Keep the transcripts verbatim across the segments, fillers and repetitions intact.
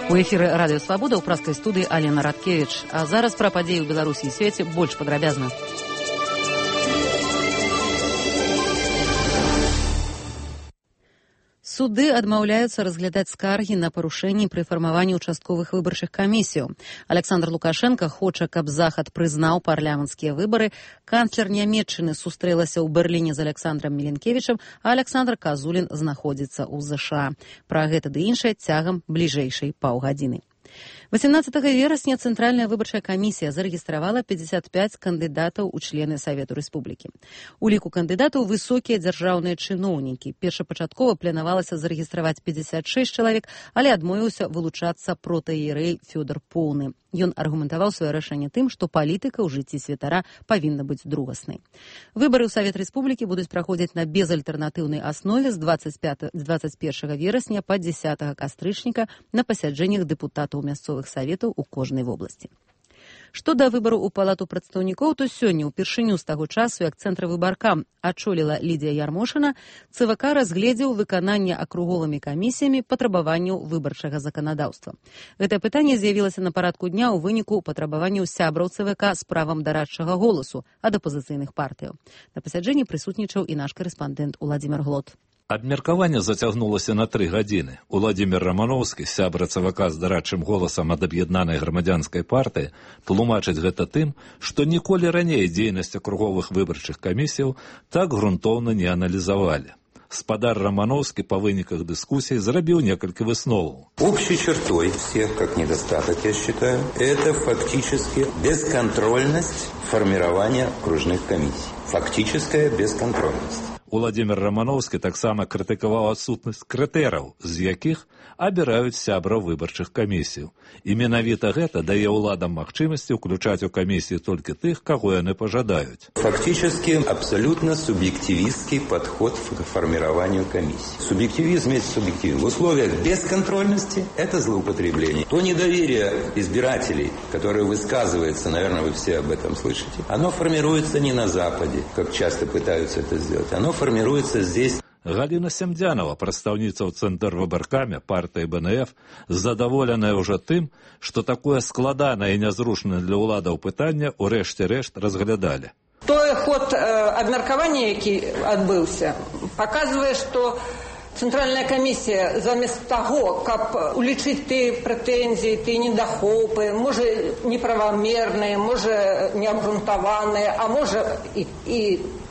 У эфіры радыё Свабода ў праскай студыі Алена Радкевіч. А зараз пра падзеі ў Беларусі і свеце больш падрабязна. Суды адмаўляюцца разглядаць скаргі на парушэнні пры фармаванні участковых выбарчых камісіяў. Александр Лукашенко хоча, каб Захад прызнаў парламенцкія выбары. Канцлер Нямецчыны сустрэлася ў Берліне з Александром Міленкевічам, а Александр Казулін знаходзіцца ў ЗША. Пра гэта ды іншае цягам бліжэйшай паўгадзіны. восемнадцатага верасня Цэнтральная выбарчая камісія зарэгістравала пятьдесят пять кандыдатаў у члены Савету Рэспублікі. У ліку кандыдатаў высокія дзяржаўныя чыноўнікі. Першапачаткова планавалася зарэгістраваць пятьдесят шесть чалавек, але адмовіўся вылучацца протаіерэй Фёдор Поўны. Ён аргументаваў сваё рашэнне тым, што палітыка ў жыцці святара павінна быць другаснай. Выбары ў Савет Рэспублікі будуць праходзіць на безальтэрнатыўнай аснове з двадцать першага верасня па дзесятага кастрычніка на пасяджэннях дэпутатаў мясцовых саветаў у кожнай вобласці. Што да выбару ў палату прадстаўнікоў, то сёння ўпершыню з таго часу, як цэнтравыбаркам ачоліла Лідія Ярмошына, ЦВК разгледзеў выкананне акруговымі камісіямі патрабаванняў выбарчага заканадаўства. Гэтае пытанне з'явілася на парадку дня ў выніку патрабаванняў сябраў ЦВК з правам дарадчага голасу ад апазіцыйных партыяў. На пасяджэнні прысутнічаў і наш карэспандэнт Уладзімір Глот. Абмеркаванне зацягнулася на тры гадзіны. Уладзімір Рамановскі, сябра ЦВК з дарадчым голасам ад аб'яднанай грамадзянскай партыі, тлумачыць гэта тым, што ніколі раней дзейнасць акруговых выбарчых камісіяў так грунтоўна не аналізавалі. Спадар Романовский по выниках дискуссий зарабил несколько высновов. Общей чертой всех, как недостаток, я считаю, это фактически бесконтрольность формирования окружных комиссий. Фактическая бесконтрольность. Уладзімір Романовский таксама крытыкаваў адсутнасць крытэраў, з якіх абіраюць сябраў выбарчых камісіяў. І менавіта гэта дае ўладам магчымасці ўключаць у камісіі толькі тых, каго яны пажадаюць. Фактически абсолютно субъективистский подход к формированию комиссии. Субъективизм есть субъективизм. В условиях бесконтрольности это злоупотребление. То недоверие избирателей, которое высказывается, наверное, вы все об этом слышите, оно формируется не на Западе, как часто пытаются это сделать. Оно формируется здесь. Галина Семдзянова, прадстаўніца ў цэнтрвыбаркаме партыі БНФ, задаволеная ўжо тым, што такое складанае і нязручнае для ўладаў пытанне ў рэшце рэшт разглядалі. Той ход э, абмеркавання, які адбыўся, паказвае, што Цэнтральная камісія замест таго, каб улічыць тыя прэтэнзіі, тыя недахопы, можа неправамерныя, можа неабгрунтаваныя, а можа і, і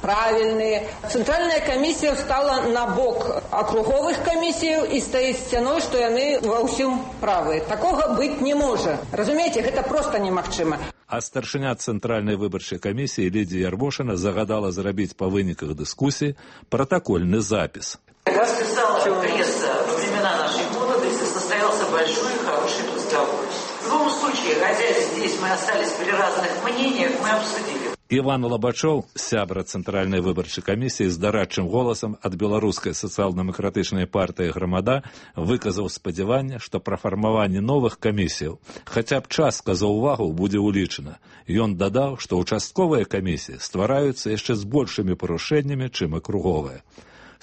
правільныя. Цэнтральная камісія стала на бок акруговых камісіяў і стаіць сцяной, што яны ва ўсім правыя. Такога быць не можа. Разумееце, гэта проста немагчыма. А старшыня Цэнтральнай выбарчай камісіі Лідія Ярмошына загадала зрабіць па выніках дыскусіі пратакольны запіс. Как писала пресса во времена нашей молодости, состоялся большой и хороший разговор. В любом случае, хотя здесь мы остались при разных мнениях, мы обсудили. Іван Лабачоў, сябра Цэнтральнай выбарчай камісіі з дарадчым голасам ад беларускай сацыял-дэмакратычнай партыі «Грамада» выказаў спадзяванне, што пра фармаванне новых камісіяў хаця б частка заўвагаў будзе ўлічана. Ён дадаў, што участковыя камісіі ствараюцца яшчэ з большымі парушэннямі, чым акруговыя.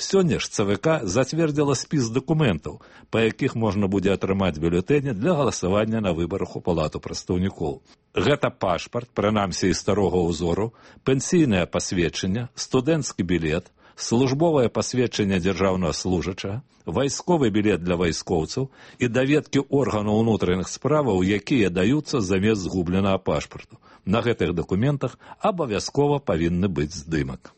Сёння ж ЦВК зацвердзіла спіс дакументаў, па якіх можна будзе атрымаць бюлетэні для галасавання на выбарах у палату прадстаўнікоў. Гэта пашпарт, прынамсі і старога ўзору, пенсійнае пасведчанне, студэнцкі білет, службовае пасведчанне дзяржаўнага служачага, вайсковы білет для вайскоўцаў і даведкі органаў унутраных справаў, якія даюцца замест згубленага пашпарту. На гэтых дакументах абавязкова павінны быць здымак.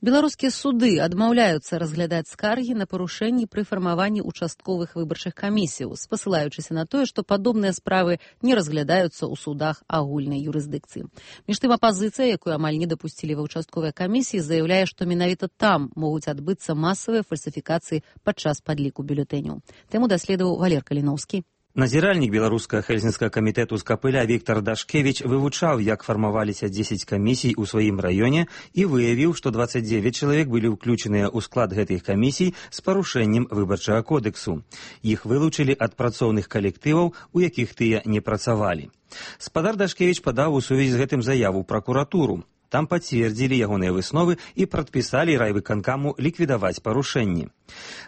Беларускія суды адмаўляюцца разглядаць скаргі на парушэнні пры фармаванні участковых выбарчых камісіяў, спасылаючыся на тое, што падобныя справы не разглядаюцца ў судах агульнай юрысдыкцыі. Між тым, апазіцыя, якую амаль не дапусцілі ва ўчастковыя камісіі, заяўляе, што менавіта там могуць адбыцца масавыя фальсіфікацыі падчас падліку бюлетэняў. Тэму даследаваў Валер Каліноўскі. Назіральнік беларускага хельсінскага камітэта з Капыля Віктор Дашкевіч вывучаў, як фармаваліся дзесяць камісій у сваім раёне і выявіў, што дваццаць дзевяць чалавек былі ўключаныя ў склад гэтых камісій з парушэннем выбарчага кодексу. Іх вылучылі ад працоўных калектываў, у якіх тыя не працавалі. Спадар Дашкевіч падаў у сувязі з гэтым заяву ў пракуратуру. Там пацвердзілі ягоныя высновы і прадпісалі райвыканкаму ліквідаваць парушэнні.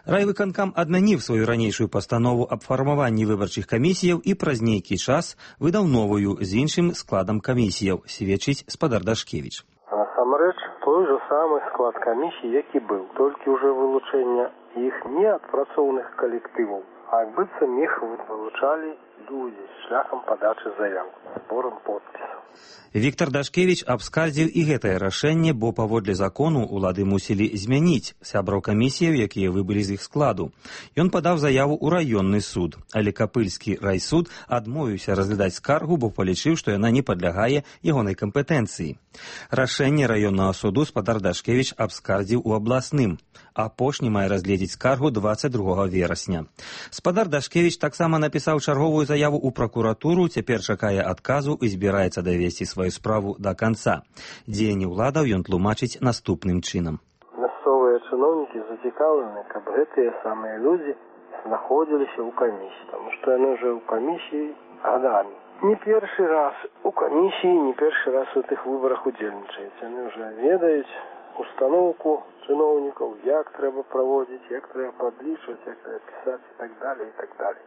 Райвыканкам адмяніў сваю ранейшую пастанову аб фармаванні выбарчых камісіяў і праз нейкі час выдаў новую з іншым складам камісіяў, сведчыць спадар Дашкевіч. Насамрэч, той же самы склад камісій, які быў, толькі ўжо вылучэння іх не ад працоўных калектываў, а як быццам іх вылучалі людзі шляхам падачы заяў, зборам подпісаў. Віктор Дашкевіч абскардзіў і гэтае рашэнне, бо паводле закону улады мусілі змяніць сябраў камісіяў, якія выбылі з іх складу. Ён падаў заяву ў раённы суд, але Капыльскі райсуд адмовіўся разглядаць скаргу, бо палічыў, што яна не падлягае ягонай кампетэнцыі. Рашэнне раённага суду спадар Дашкевіч абскардзіў у абласным. Апошні мае разгледзець скаргу дваццаць другога верасня. Спадар Дашкевіч таксама напісаў чарговую заяву ў пракуратуру, цяпер чакае адказу і збіраецца давесці сваю справу да канца. Дзеянні ўладаў ён тлумачыць наступным чынам. Мясцовыя чыноўнікі зацікаўлены, каб гэтыя самыя людзі знаходзіліся ў камісіі, таму што яны ўжо ў камісіі гадамі. Не першы раз у камісіі, не першы раз у тых выбарах удзельнічаюць. Яны ўжо ведаюць установку чыноўнікаў, як трэба праводзіць, як трэба падлічваць, як трэба пісаць і так далее, і так далее.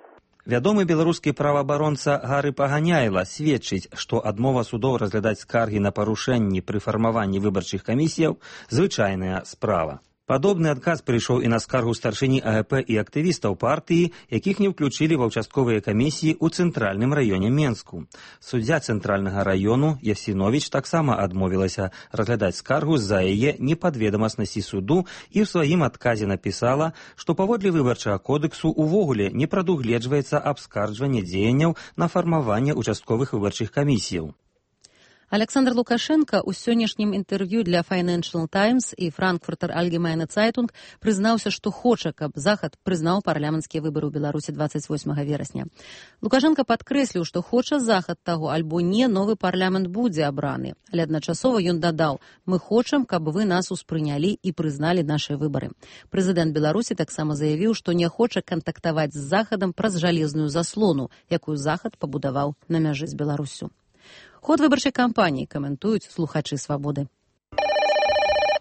Вядомы беларускі праваабаронца Гары Паганяйла сведчыць, што адмова судоў разглядаць скаргі на парушэнні пры фармаванні выбарчых камісіяў звычайная справа. Падобны адказ прыйшоў і на скаргу старшыні А Г П і актывістаў партыі, якіх не ўключылі ва ўчастковыя камісіі ў цэнтральным раёне Менску. Суддзя цэнтральнага раёну Ясіновіч таксама адмовілася разглядаць скаргу з-за яе непадведамаснасці суду і ў сваім адказе напісала, што паводле выбарчага кодексу увогуле не прадугледжваецца абскарджванне дзеянняў на фармаванне участковых выбарчых камісіяў. Александр Лукашенко ў сённяшнім інтэрв'ю для Financial Times і Frankfurter Allgemeine Zeitung прызнаўся, што хоча, каб Захад прызнаў парламенцкія выбары ў Беларусі дваццаць восьмага верасня. Лукашенко падкрэсліў, што хоча Захад таго, альбо не, новы парламент будзе абраны. Але адначасова ён дадаў: «Мы хочам, каб вы нас успрынялі і прызналі нашыя выбары». Прэзідэнт Беларусі таксама заявіў, што не хоча кантактаваць з Захадам праз жалезную заслону, якую Захад пабудаваў на мяжы з Беларуссю. Ход выбарчай кампаніі каментуюць слухачы «Свабоды».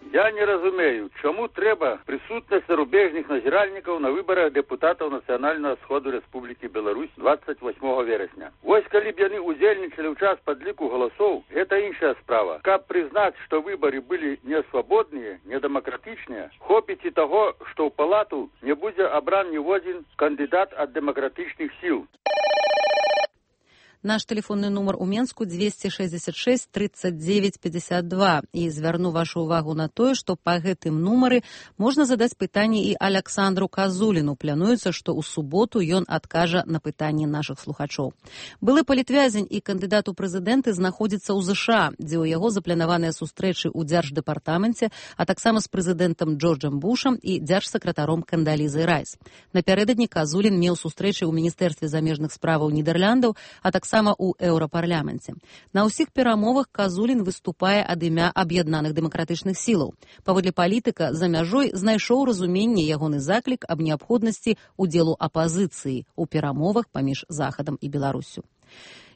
Я не разумею, чаму трэба прысутнасць зарубежных назіральнікаў на выбарах дэпутатаў Нацыянальнага сходу Рэспублікі Беларусь дваццаць восьмога верасня. Вось калі б яны ўдзельнічалі ў час падліку галасоў, гэта іншая справа. Каб прызнаць, што выбары былі несвабодныя, недэмакратычныя, хопіць і таго, што ў палату не будзе абран ніводзін кандыдат ад дэмакратычных сіл. Наш телефонный номер у Менску двести шестьдесят шесть тридцать девять пятьдесят два. И звярну вашу увагу на тое, што па гэтым нумары можна задаць пытанне і Александру Казуліну. Плануецца, што ў суботу ён адкажа на пытанні нашых слухачоў. Былы палітвязень і кандыдат у прэзідэнты знаходзіцца ў ЗША, дзе ў яго запланаваныя сустрэчы ў дзярждэпартаменце, а таксама з прэзідэнтам Джорджам Бушам і дзяржсакратаром Кандалізай Райс. Напярэдадні Казулін меў сустрэчы ў Міністэрстве замежных справаў Нідэрляндаў, а таксама сама ў еўрапарламенце. На ўсіх перамовах Казулін выступае ад імя аб'яднаных дэмакратычных сілаў. Паводле палітыка за мяжой знайшоў разуменне ягоны заклік аб неабходнасці удзелу апазіцыі ў перамовах паміж Захадам і Беларуссю.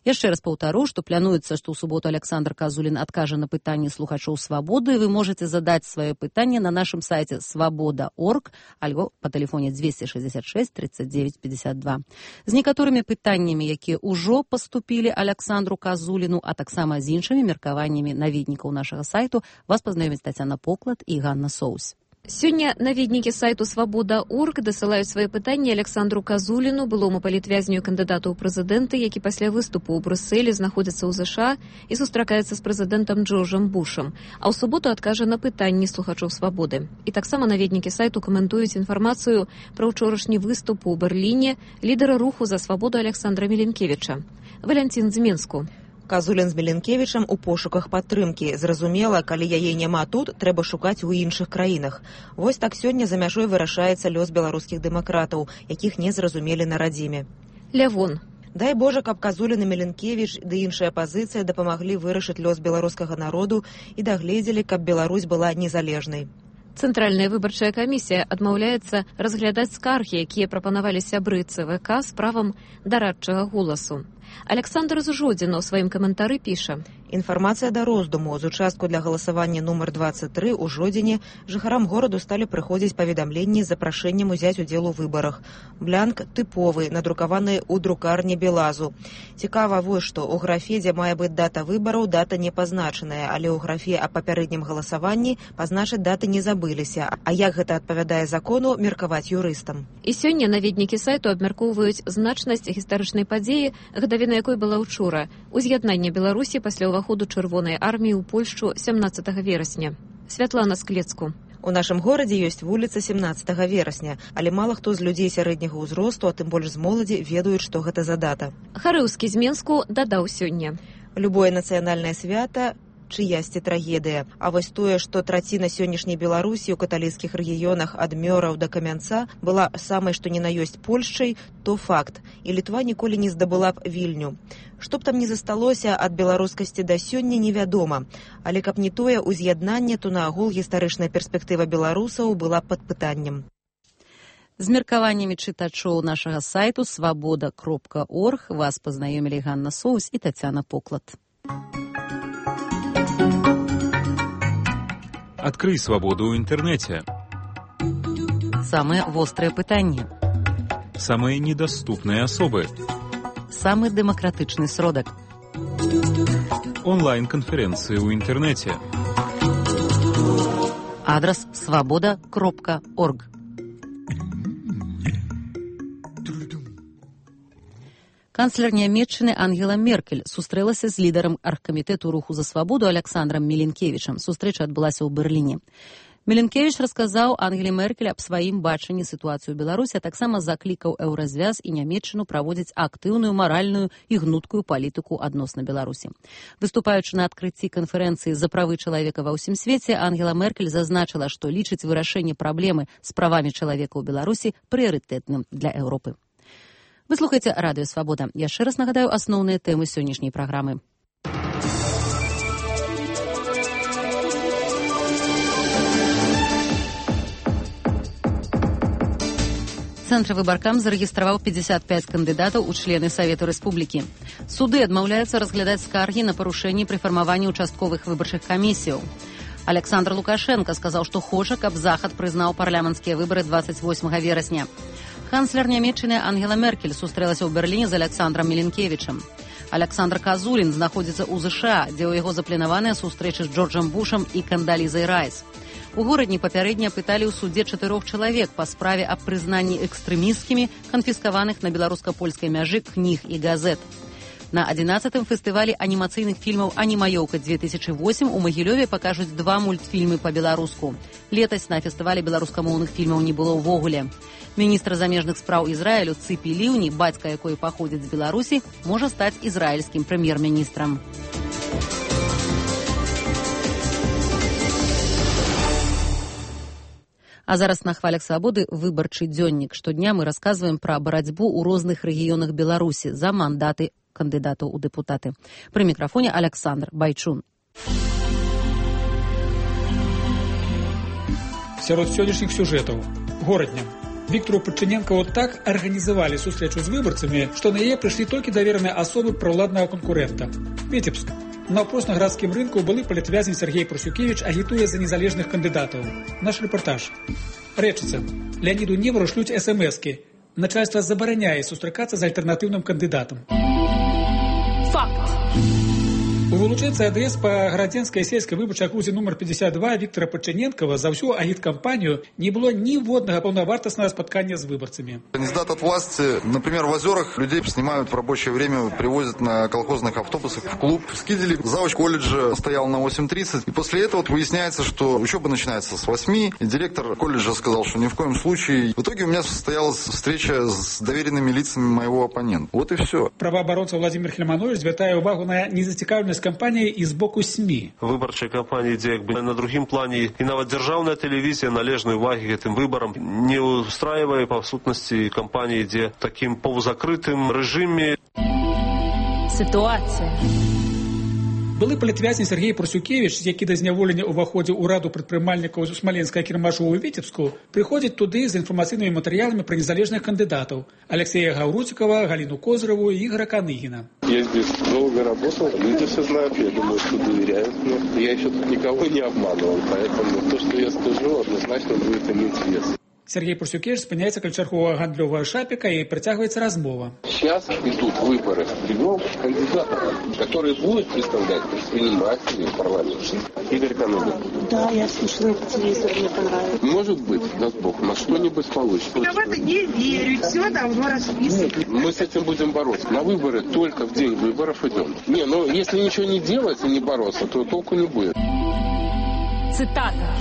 Яшчэ раз паўтару, што плануецца, што ў суботу Александр Казулін адкажа на пытанні слухачоў «Свабоды». Вы можете задаць сваё пытанне на нашым сайце свабода точка орг альбо па тэлефоне двести шестьдесят шесть тридцать девять пятьдесят два. З некаторымі пытаннямі, якія ўжо паступілі Александру Казуліну, а таксама з іншымі меркаваннямі наведнікаў нашага сайту, вас пазнаёмяць Тацяна Поклад і Ганна Соус. Сёння наведнікі сайту свабода точка орг дасылаюць свае пытанні Александру Казуліну, былому палітвязню і кандыдату ў прэзідэнты, які пасля выступу ў Брюсселі знаходзіцца ў ЗША і сустракаецца з прэзідэнтам Джорджам Бушам, а ў суботу адкажа на пытанні слухачоў «Свабоды». І таксама наведнікі сайту каментуюць інфармацыю пра ўчорашні выступ у Берліне лідара руху за свабоду Александра Міленкевіча. Валянцін з Менску. Казулін з Міленкевічам у пошуках падтрымкі. Зразумела, калі яе няма тут, трэба шукаць у іншых краінах. Вось так сёння за мяжой вырашаецца лёс беларускіх дэмакратаў, якіх не зразумелі на радзіме. Лявон. Дай Божа, каб Казулін і Міленкевіч ды іншая апазіцыя дапамаглі вырашыць лёс беларускага народу і дагледзелі, каб Беларусь была незалежнай. Цэнтральная выбарчая камісія адмаўляецца разглядаць скаргі, якія прапанавалі сябры Цэ Вэ Ка з правам дарадчага голасу. Александр Зужодзін у сваім каментары піша: Інфармацыя да роздуму. З участку для галасавання нумар двадцать три ў жодзіне жыхарам гораду сталі прыходзіць паведамленні з запрашэннем узяць удзел у выбарах. Блянк тыповы, надрукаваны ў друкарні Белазу. Цікава вось што, у графе, дзе мае быць дата выбараў, дата не пазначаная, але ў графе аб папярэднім галасаванні пазначыць даты не забыліся. А як гэта адпавядае закону, меркаваць юрыстам. І сёння наведнікі сайту абмяркоўваюць значнасць гістарычнай падзеі, гадавіна якой была ўчора. Уз'яднанне Беларусі пасля ўваходу Чырвонай арміі ў Польшчу сямнаццатага верасня. Святлана Склецку. У нашым горадзе ёсць вуліца семнаццатага верасня, але мала хто з людзей сярэдняга ўзросту, а тым больш з моладзі, ведаюць, што гэта за дата. Харыўскі з Менску дадаў сёння. Любое нацыянальнае свята чыясьці трагедыя. А вось тое, што траціна сённяшняй Беларусі ў каталіцкіх рэгіёнах ад Мёраў да Камянца была самай што ні на ёсць Польшчай, то факт. І Літва ніколі не здабыла б Вільню. Што б там не засталося ад беларускасці да сёння, невядома. Але каб не тое ўз'яднанне, то наогул гістарычная перспектыва беларусаў была пад пытаннем. З меркаваннямі чытачоў нашага сайту свабода кропка орг вас пазнаёмілі Ганна Соус і Тацяна Поклад. Открой свободу в интернете. Самые острые пытанні. Самые недоступные особы. Самый демократичный сродок. Онлайн-конференции в интернете. Адрес свобода кропка орг. Канцлер Нямецчыны Ангела Меркель сустрэлася з лідарам аргкамітэту руху за свабоду Александром Міленкевічам. Сустрэча адбылася ў Берліне. Міленкевіч расказаў Ангеле Меркель аб сваім бачанні сітуацыю ў Беларусі, а таксама заклікаў Еўразвяз і Нямецчыну праводзіць актыўную маральную і гнуткую палітыку адносна Беларусі. Выступаючы на адкрыцці канферэнцыі за правы чалавека ва ўсім свеце, Ангела Меркель зазначыла, што лічыць вырашэнне праблемы з правамі чалавека ў Беларусі прыярытэтным для Еўропы. Вы слухаеце Радыё Свабода. Яшчэ раз нагадаю асноўныя тэмы сённяшняй праграмы. Цэнтр выбаркам зарэгістраваў пятьдесят пять кандыдатаў у члены Савету Рэспублікі. Суды адмаўляюцца разглядаць скаргі на парушэнні пры фармаванні участковых выбарчых камісіяў. Александр Лукашенко сказаў, што хоча, каб Захад прызнаў парламенцкія выбары двадцать восьмага верасня. Канцлер Нямецчыны Ангела Меркель сустрэлася ў Берліне з Александром Міленкевічам. Александр Казулін знаходзіцца ў ЗША, дзе ў яго запланаваныя сустрэчы з Джорджам Бушам і Кандалізай Райс. У горадні папярэдне апыталі ў судзе чатырох чалавек па справе аб прызнанні экстрэмісцкімі канфіскаваных на беларуска-польскай мяжы кніг і газет. На адзінаццатым фестывалі анімацыйных фільмаў «Анімаёўка две тысячи восемь» у Магілёве пакажуць два мультфільмы па-беларуску. Летась на фестывалі беларускамоўных фільмаў не было ўвогуле. Міністр замежных спраў Ізраілю Цыпі Ліўні, бацька якой паходзіць з Беларусі, можа стаць ізраільскім прэм'ер-міністрам. А зараз на хвалях свабоды выбарчы дзённік. Штодня мы расказваем пра барацьбу ў розных рэгіёнах Беларусі за мандаты кандыдатаў у дэпутаты. Пры мікрафоне Александр Байчун. Сярод сённяшніх сюжэтаў. Горадня. Віктору Падчыненкову так арганізавалі сустрэчу з выбарцамі, што на яе прыйшлі толькі давераныя асобы праўладнага канкурэнта. Віцебск. На опросна-градскім рынку былы палітвязень Сергей Прусюкевич агітуе за незалежных кандыдатаў. Наш рэпартаж. Рэчыца. Леоніду Невару шлюць эс эм эскі. Начальство забараняе сустракацца з альтэрнатыўным кандыдатам. Факт. У вылучэнцы АДС па градзенскай сельскай выбарчай акрузе нумар пятьдесят два Віктора Падчыненкова за всю агіткампанию не было ніводнага паўнавартаснага спаткання с выборцами. Кандидат от власти, например, в Озерах людей снимают в рабочее время, привозят на колхозных автобусах в клуб. В Скиделе завуч колледжа стоял на восемь тридцать. И после этого вот выясняется, что учеба начинается с восьми. И директор колледжа сказал, что ни в коем случае. В итоге у меня состоялась встреча с доверенными лицами моего оппонента. Вот и все. Правооборонца Владимир Хельманович звяртае увагу на незацікаўленасць кампанії і з боку СМІ. Выбарчай кампанії, дзе якби на другім плані і нават дзяржаўная тэлевізія належнай увагі гэтым выбарам не устраивае па сутнасці кампанії, дзе такім паўзакрытым рэжыме. Ситуация. Былы палітвязень Сергей Прусюкевич, які да зняволення ўваходзіў у раду прадпрымальнікаў Смаленскага кірмашу ў Віцебску, прыходзіць туды з інфармацыйнымі матэрыяламі пра незалежных кандыдатаў Алексея Гаўруцікава, Галину Козырову и Игоря Каныгина. Я здесь долго работал, люди все знают, я думаю, что доверяют мне. Я еще тут никого не обманывал, поэтому то, что я скажу, однозначно будет иметь вес. Сергей Прусюкевич спыняецца каля чарговага гандлёвага шапіка и притягивается размова. Сейчас идут выборы трех кандидатов, которые будут представлять предпринимателей в парламенте. Игорь Каныгин. Да, я слышала по телевизору, мне понравилось. Может быть, даст Бог, на что-нибудь получится. Я в это не верю, все давно расписано. Мы с этим будем бороться. На выборы только в день выборов идем. Не, ну если ничего не делать и не бороться, то толку не будет. Цитата.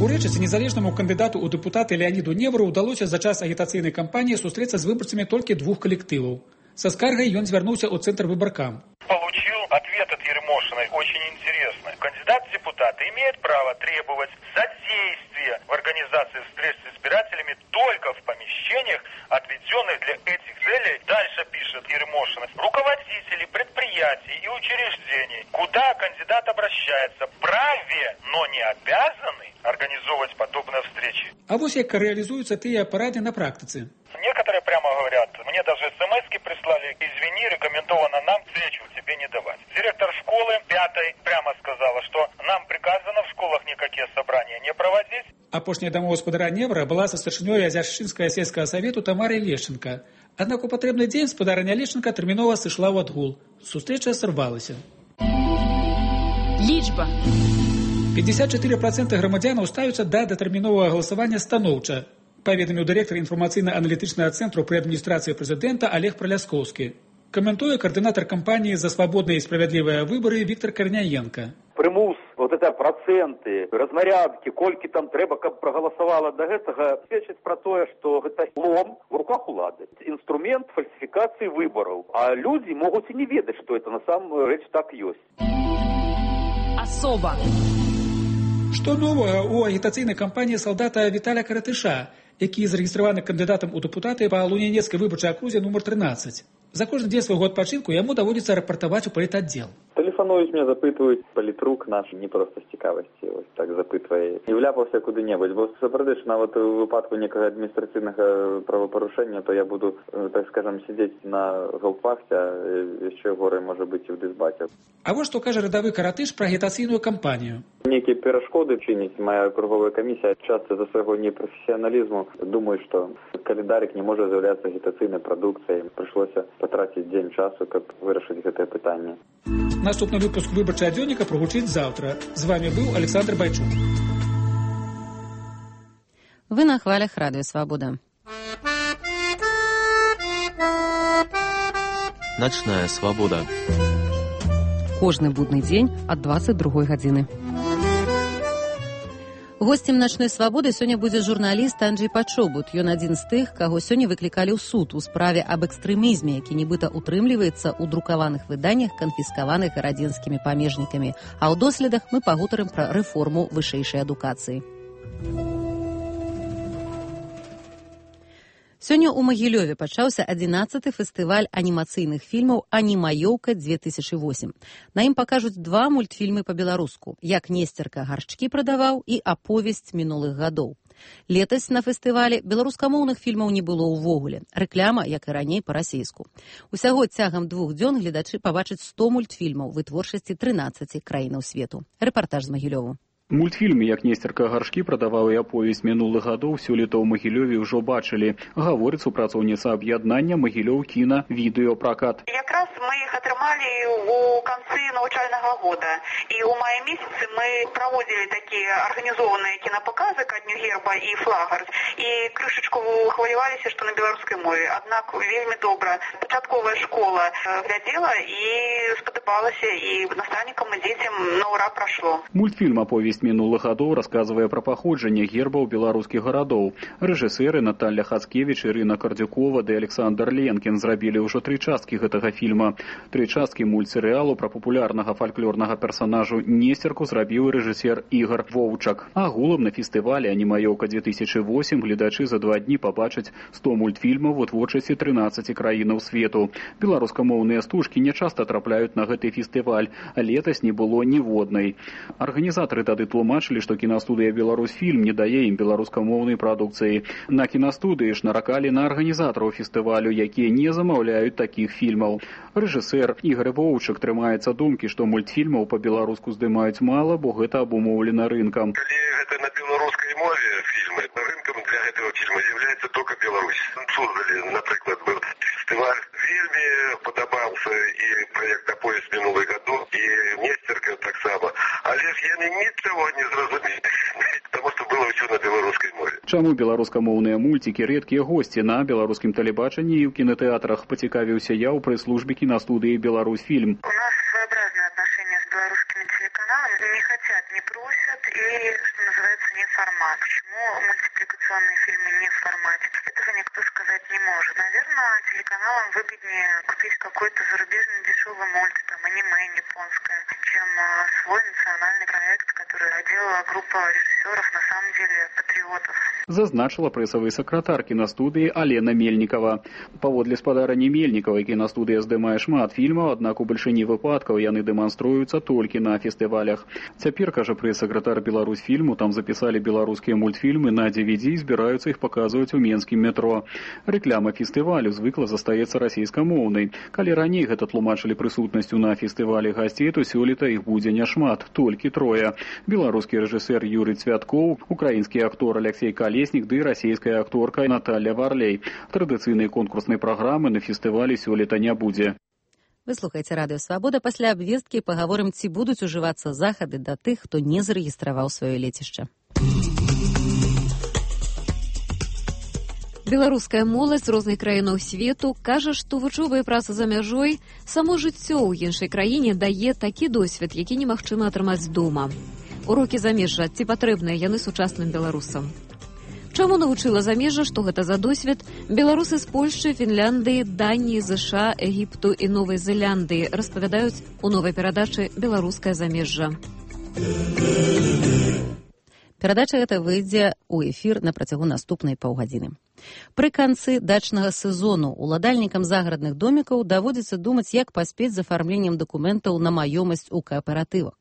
У рэчыце незалежнаму кандыдату ў дэпутаты Леаніду Невру ўдалося за час агітацыйнай кампаніі сустрэцца з выбарцамі толькі двух калектываў. Со скаргай ён звярнуўся ў цэнтр выбаркам. Получил ответ от Ермошиной очень интересный. Кандидат в депутаты имеет право требовать содействия в организации встреч с избирателями только в помещениях, отведенных для этих целей. Дальше пишет Ермошина. Руководители предприятий и учреждений, куда кандидат обращается, праве, но не обязаны организовывать подобные встречи. А вот як реализуются тыя парады на практице. Некоторые прямо говорят, мне даже смс-ки прислали, извини, рекомендовано нам встречу тебе не давать. Директор школы пятой прямо сказала, что нам приказано в школах никакие собрания не проводить. Апошняя домогоспадара Невра была со старшынёй Азяршчынскага сельскага совету Тамарой Лешченко. Аднак у патрэбны дзень спадарыня Лешченко тэрмінова сышла ў адгул. Сустрэча сарвалася. Лічба. пятьдесят четыре процента грамадзянаў ставяцца да датэрміновага галасавання станоўча, паведаміў дырэктар інфармацыйна-аналітычнага цэнтру пры адміністрацыі прэзідэнта Олег Праляскоўскі. Каментуе координатор кампании «За свободные и справедливые выборы» Виктор Корняенко. Примус, вот это проценты, размарядки, кольки там треба, каб проголосовало до этого, свідчить про то, что это лом в руках улады. Инструмент фальсификации выборов. А люди могут и не ведать, что это на самом деле так есть. Особо. Што новага ў агітацыйнай кампаніі салдата Віталя Каратыша, які зарэгістраваны кандыдатам у дэпутаты па Лунінецкай выбарчай акрузе нумар тринадцать. За кожны дзень свайго адпачынку яму даводзіцца рапартаваць у палітаддзел. Тэлефануюць, мне запытваюць, палітрук наш не проста з цікавасці, ось так запытвае. І вляпаўся куды-небудзь, бо сапраўды ж нават у выпадку некага адміністрацыйнага правапарушэння, то я буду, так скажам, сидзець на гаўпахце, яшчэ горай можа быць і ў дысбаце. А вось што кажа радавы Каратыш пра агітацыйную кампанію. Некія перашкоды чыніць моя круговая камісія. Часта за свайго непрафесіяналізму думаю, што календарик не можа з'яўляцца агітацыйнай прадукцыяй. Прыйшлося потратить день часу, как вырашить это питание. Наступный выпуск выборчего дзённіка прогучит завтра. С вами был Александр Байчук. Вы на хвалях Радио Свобода. Ночная свобода. Кожны будны дзень ад двадцать другой гадзіны. Гостем «Ночной свободы» сёння будзе журналіст Анджей Пачобут. Ён адзін з тых, каго сёння выклікалі ў суд у справе аб экстрэмізме, які нібыта утрымліваецца ў друкаваных выданнях, канфіскаваных радзенскімі памежнікамі. А ў доследах мы пагутарым пра рэформу вышэйшай адукацыі. Сёння ў Магілёве пачаўся адзінаццаты фестываль анімацыйных фільмаў «Анімаёўка две тысячи восемь». На ім пакажуць два мультфільмы па-беларуску «Як Несцерка гаршчкі прадаваў» і «Аповесць мінулых гадоў». Летась на фестывалі беларускамоўных фільмаў не было ўвогуле. Рэкляма, як і раней, па-расейску. Усяго цягам двух дзён гледачы пабачаць сто мультфільмаў вытворчасці трынаццаці краінаў свету. Рэпартаж з Магілёву. Мультфільм «Як Несцерка гаршкі прадаваў» і «Аповесць мінулых гадоў» сёлета ў Магілёве ўжо бачылі. Гаворыць супрацоўніца аб'яднання «Магілёў кіна» відэопракат. Якраз мы іх атрымалі ў канцы навучальнага года. І ў маі месяцы мы праводзілі такія арганізованыя кінапаказы ка дню герба і флагар. І крышачку хваляваліся, што на беларускай мове. Аднак вельмі добра. Пачатковая школа глядзела і спадабалася, і настаўнікам і дзецям на ура прашло. Мультфільм «Аповесць з мінулых гадоў расказвае пра паходжанне гербаў беларускіх гарадоў. Рэжысэры Наталья Хацкевіч, Ірына Кардзюкова ды Александр Ленкін зрабілі ўжо тры часткі гэтага фільма. Тры часткі мультсерыялу пра папулярнага фальклорнага персанажу Несцерку зрабіў рэжысер Ігар Воўчак. Агулам на фестывале «Анімаёўка две тысячи восемь» гледачы за два дні пабачаць сто мультфільмаў у творчасці трынаццаці краінаў свету. Беларускамоўныя стужкі не часта трапляюць на гэты фестываль, а летась не было ніводнай. Арганізатары тады тлумачылі, што кінастудыя «Беларусьфільм» не дае ім беларускамоўнай прадукцыі. На кінастудыі ж наракалі на арганізатараў фестывалю, якія не замаўляюць такіх фільмаў. Рэжысэр Ігар Воўчак трымаецца думкі, што мультфільмаў па-беларуску здымаюць мала, бо гэта абумоўлена рынкам. Калі гэта на беларускай мове фільмы, рынкам для гэтага фільма з'яўляецца толькі Беларусь. Создали, напрыклад, быў фестываль. Вельмі падабаўся і праект «Поезд мінулых гадоў», і Несцерка таксама. Але ж яны нічого не зразумелі, таму што было ўсё на беларускай мове. Чаму беларускамоўныя мульцікі рэдкія госці на беларускім тэлебачанні і ў кінотеатрах, пацікавіўся я ў прэс-службе кінастудыі «Беларусьфільм». У нас своеобразное отношение с белорусскими телеканалами. Не хотят, не просят и, что называется, не формат. Почему мультипликационные фильмы не в формате? Этого никто сказать не может. Наверное, телеканалам выгоднее купить какой-то зарубежный дешевый мульт, там, аниме японское, чем свой национальный проект, который делала группа режиссеров, на самом деле, патриотов. Зазначила прэсавы сакратар кінастудыі Алена Мельнікова. Паводле спадарні Мельнікавай кінастудыя здымае шмат фільмаў, аднак у бальшыні выпадкаў яны дэманструюцца толькі на фестывалях. Цяпер, кажа прэс-сакратар «Беларусьфільму», там запісалі беларускія мультфільмы на ди ви ди і збіраюцца іх паказваць у менскім метро. Рэкляма фестывалю звыкла застаецца расійскамоўнай. Калі раней гэта тлумачылі прысутнасцю на фестывалі гасцей, то сёлета іх будзе няшмат, толькі трое. Беларускі рэжысэр Юрый Цвяткоў, украінскі актор Алексей Калеснік ды расійская акторка Наталья Варлей. Традыцыйнай конкурснай праграмы на фестывалі сёлета не будзе. Вы слухаеце радыё «Свабода». Пасля абвесткі пагаворым, ці будуць ужывацца захады да тых, хто не зарэгістраваў сваё лецішча. Беларуская моладзь з розных краінаў свету кажа, што вучоба і праца за мяжой, само жыццё ў іншай краіне дае такі досвед, які немагчыма атрымаць дома. Урокі замежжа, ці патрэбныя яны сучасным беларусам? Чаму навучыла замежжа, што гэта за досвед, беларусы з Польшчы, Фінляндыі, Даніі, ЗША, Егіпту і Новай Зеландыі распавядаюць у новай перадачы «Беларускае замежжа». Перадача гэта выйдзе ў эфір на працягу наступнай паўгадзіны. Пры канцы дачнага сезону уладальнікам загарадных домікаў даводзіцца думаць, як паспець з афармленнем дакументаў на маёмасць у кааператывах.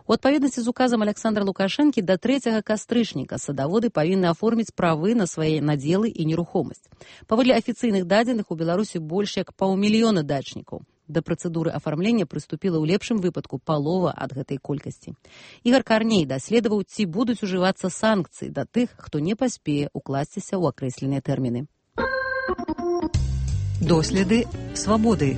У адпаведнасці з указам Александра Лукашэнкі да трэцяга кастрычніка садаводы павінны аформіць правы на свае надзелы і нерухомасць. Паводле афіцыйных дадзеных у Беларусі больш як паўмільёна дачнікаў. Да працэдуры афармлення прыступіла ў лепшым выпадку палова ад гэтай колькасці. Ігар Карней даследаваў, ці будуць ужывацца санкцыі да тых, хто не паспее укласціся ў акрэсленыя тэрміны. Доследы свабоды.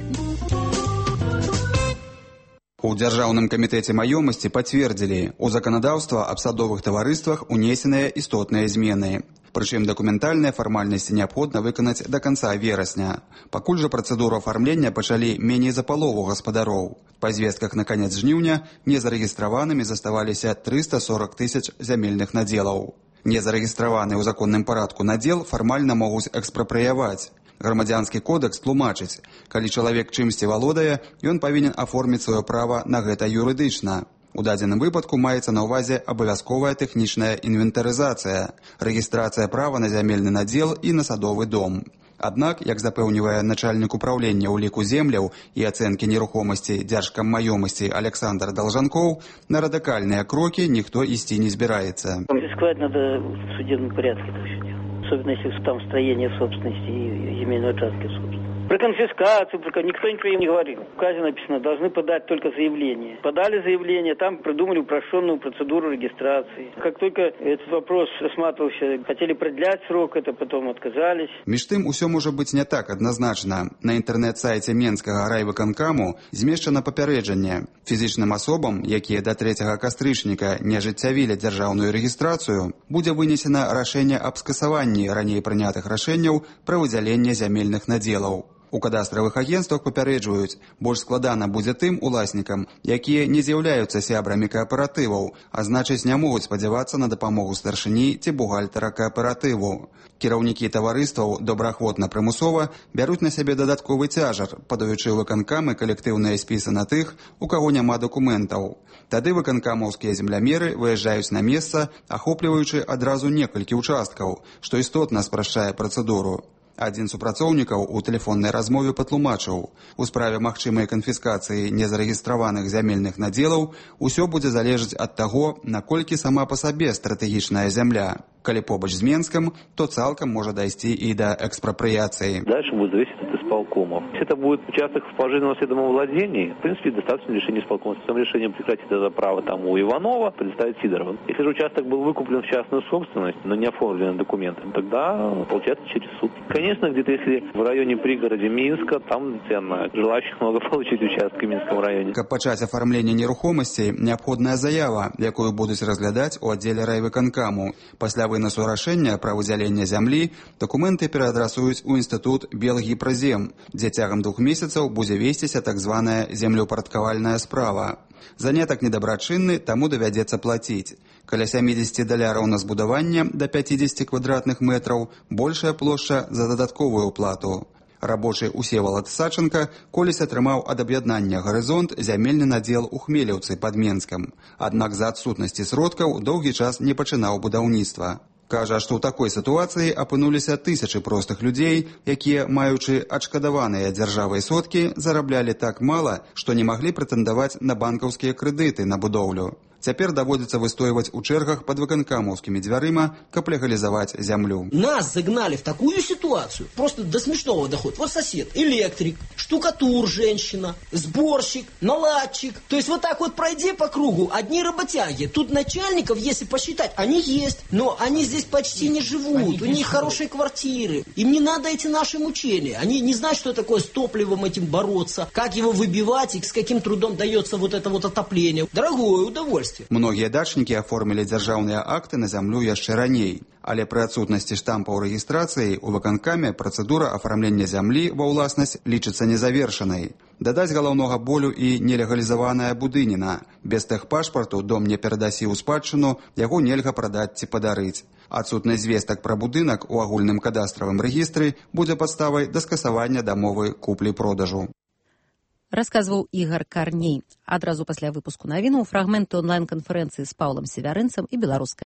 У Дзяржаўным камітэце маёмасці пацвердзілі, у заканадаўства аб садовых таварыствах унесеныя істотныя змены. Прычым дакументальныя фармальнасці неабходна выканаць да канца верасня. Пакуль жа працэдуру афармлення пачалі меней за палову гаспадароў. Па звестках на канец жніўня незарэгістраванымі заставаліся трыста сорок тысяч зямельных надзелаў. Незарэгістраваны ў законным парадку надзел фармальна могуць экспрапрыяваць. Грамадзянскі кодэкс тлумачыць, калі чалавек чымсьці валодае, ён павінен аформіць сваё права на гэта юрыдычна. У дадзеным выпадку маецца на ўвазе абавязковая тэхнічная інвентарызацыя, рэгістрацыя права на зямельны надзел і на садовы дом. Аднак, як запэўнівае начальнік управлення ўліку земляў і ацэнкі нерухомасці Дзяржкаммаёмасці Александр Должанков, на радыкальныя крокі ніхто ісці не збіраецца. Конфисковать надо в судебном порядке это все делать. Особенно если там строение собственности и земельные участки собственности. Про конфискацию, про... никто ничего не говорил. В указе написано, должны подать только заявление. Подали заявление, там придумали упрощенную процедуру регистрации. Как только этот вопрос рассматривался, хотели продлять срок, это потом отказались. Між тым, усё можа быць не так адназначна. На інтэрнэт-сайце Менскага райвыканкаму змешчана папярэджанне. Фізічным асобам, якія да трэцяга кастрычніка не ажыццявілі дзяржаўную рэгістрацыю, будзе вынесена рашэнне аб скасаванні раней прынятых рашэнняў пра выдзяленне зямельных надзелаў. У кадастравых агенствах папярэджваюць, больш складана будзе тым уласнікам, якія не з'яўляюцца сябрамі кааператываў, а значыць не могуць спадзявацца на дапамогу старшыні ці бухгалтара кааператыву. Кіраўнікі таварыстваў добраахвотна-прымусова бяруць на сябе дадатковы цяжар, падаючы ў выканкамы калектыўныя спісы на тых, у каго няма дакументаў. Тады выканкамаўскія землямеры выязджаюць на месца, ахопліваючы адразу некалькі участкаў, што істотна спрашчае працэдуру. Адзін з супрацоўнікаў у тэлефоннай размове патлумачыў, у справе магчымай канфіскацыі незарэгістраваных зямельных надзелаў усё будзе залежаць ад таго, наколькі сама па сабе стратэгічная зямля. Калі побач з Менском, то цалкам можа дайсці і да экспропрыяцыі. Дальше будет зависеть от исполкомов. Если это будет участок в положенном наследовом владении, в принципе, достаточно решения исполкома. С этим решением прекратить это право там у Иванова, предоставить Сидорову. Если же участок был выкуплен в частную собственность, но не оформлен документом, тогда получается через суд. Конечно, где-то если в районе пригороде Минска, там ценно. Желающих много получить участки в Минском районе. Каб пачаць афармленне нерухомасцей, неабходная заява, якую будуць разглядаць у аддзеле райвыканкаму. Пасля вынасу рашэння пра выдзяленне зямлі дакументы пераадрасуюць у інстытут Белгіпразем, дзе цягам двух месяцаў будзе весціся так званая землеўпарадкавальная справа. Занятак недабрачынны, таму давядзецца плаціць. Каля сямідзесят даляраў на збудаванне да пяцідзесяти квадратных метраў, большая плошча за дадатковую плату. Рабочы Усевалад Саченко колісь атрымаў ад аб'яднання «Гарызонт» зямельны надзел у Хмелеўцы пад Менскам. Аднак за адсутнасці сродкаў доўгі час не пачынаў будаўніцтва. Кажа, што ў такой сітуацыі апынуліся тысячы простых людзей, якія, маючы адшкадаваныя дзяржавай сродкі, зараблялі так мала, што не маглі прэтэндаваць на банкаўскія крэдыты на будоўлю. Цяпер даводзіцца выстойваць у чэргах пад выканкамаўскімі дзвярыма, каб легалізаваць зямлю. Нас загнали в такую ситуацию, просто до смешного доходит. Вот сосед, электрик, штукатур женщина, сборщик, наладчик. То есть вот так вот пройди по кругу, одни работяги. Тут начальников, если посчитать, они есть, но они здесь почти не живут, у них хорошие квартиры. Им не надо эти наши мучения. Они не знают, что такое с топливом этим бороться, как его выбивать и с каким трудом дается вот это вот отопление. Дорогое удовольствие. Многія дачнікі аформілі дзяржаўныя акты на зямлю яшчэ раней, але пры адсутнасці штампаў рэгістрацыі ў выканкаме працэдура афармлення зямлі ва ўласнасць лічыцца незавершанай. Дадаць галаўнога болю і нелегалізаваная будыніна. Без тэхпашпарту дом не перадасі ў спадчыну, яго нельга прадаць ці падарыць. Адсутнасць звестак пра будынак у агульным кадастравым рэгістры будзе падставай да скасавання дамовы куплі-продажу. Расказваў Ігар Карней. Адразу пасля выпуску навінаў фрагменты онлайн-канферэнцыі з Паўлам Севярынцам і беларускай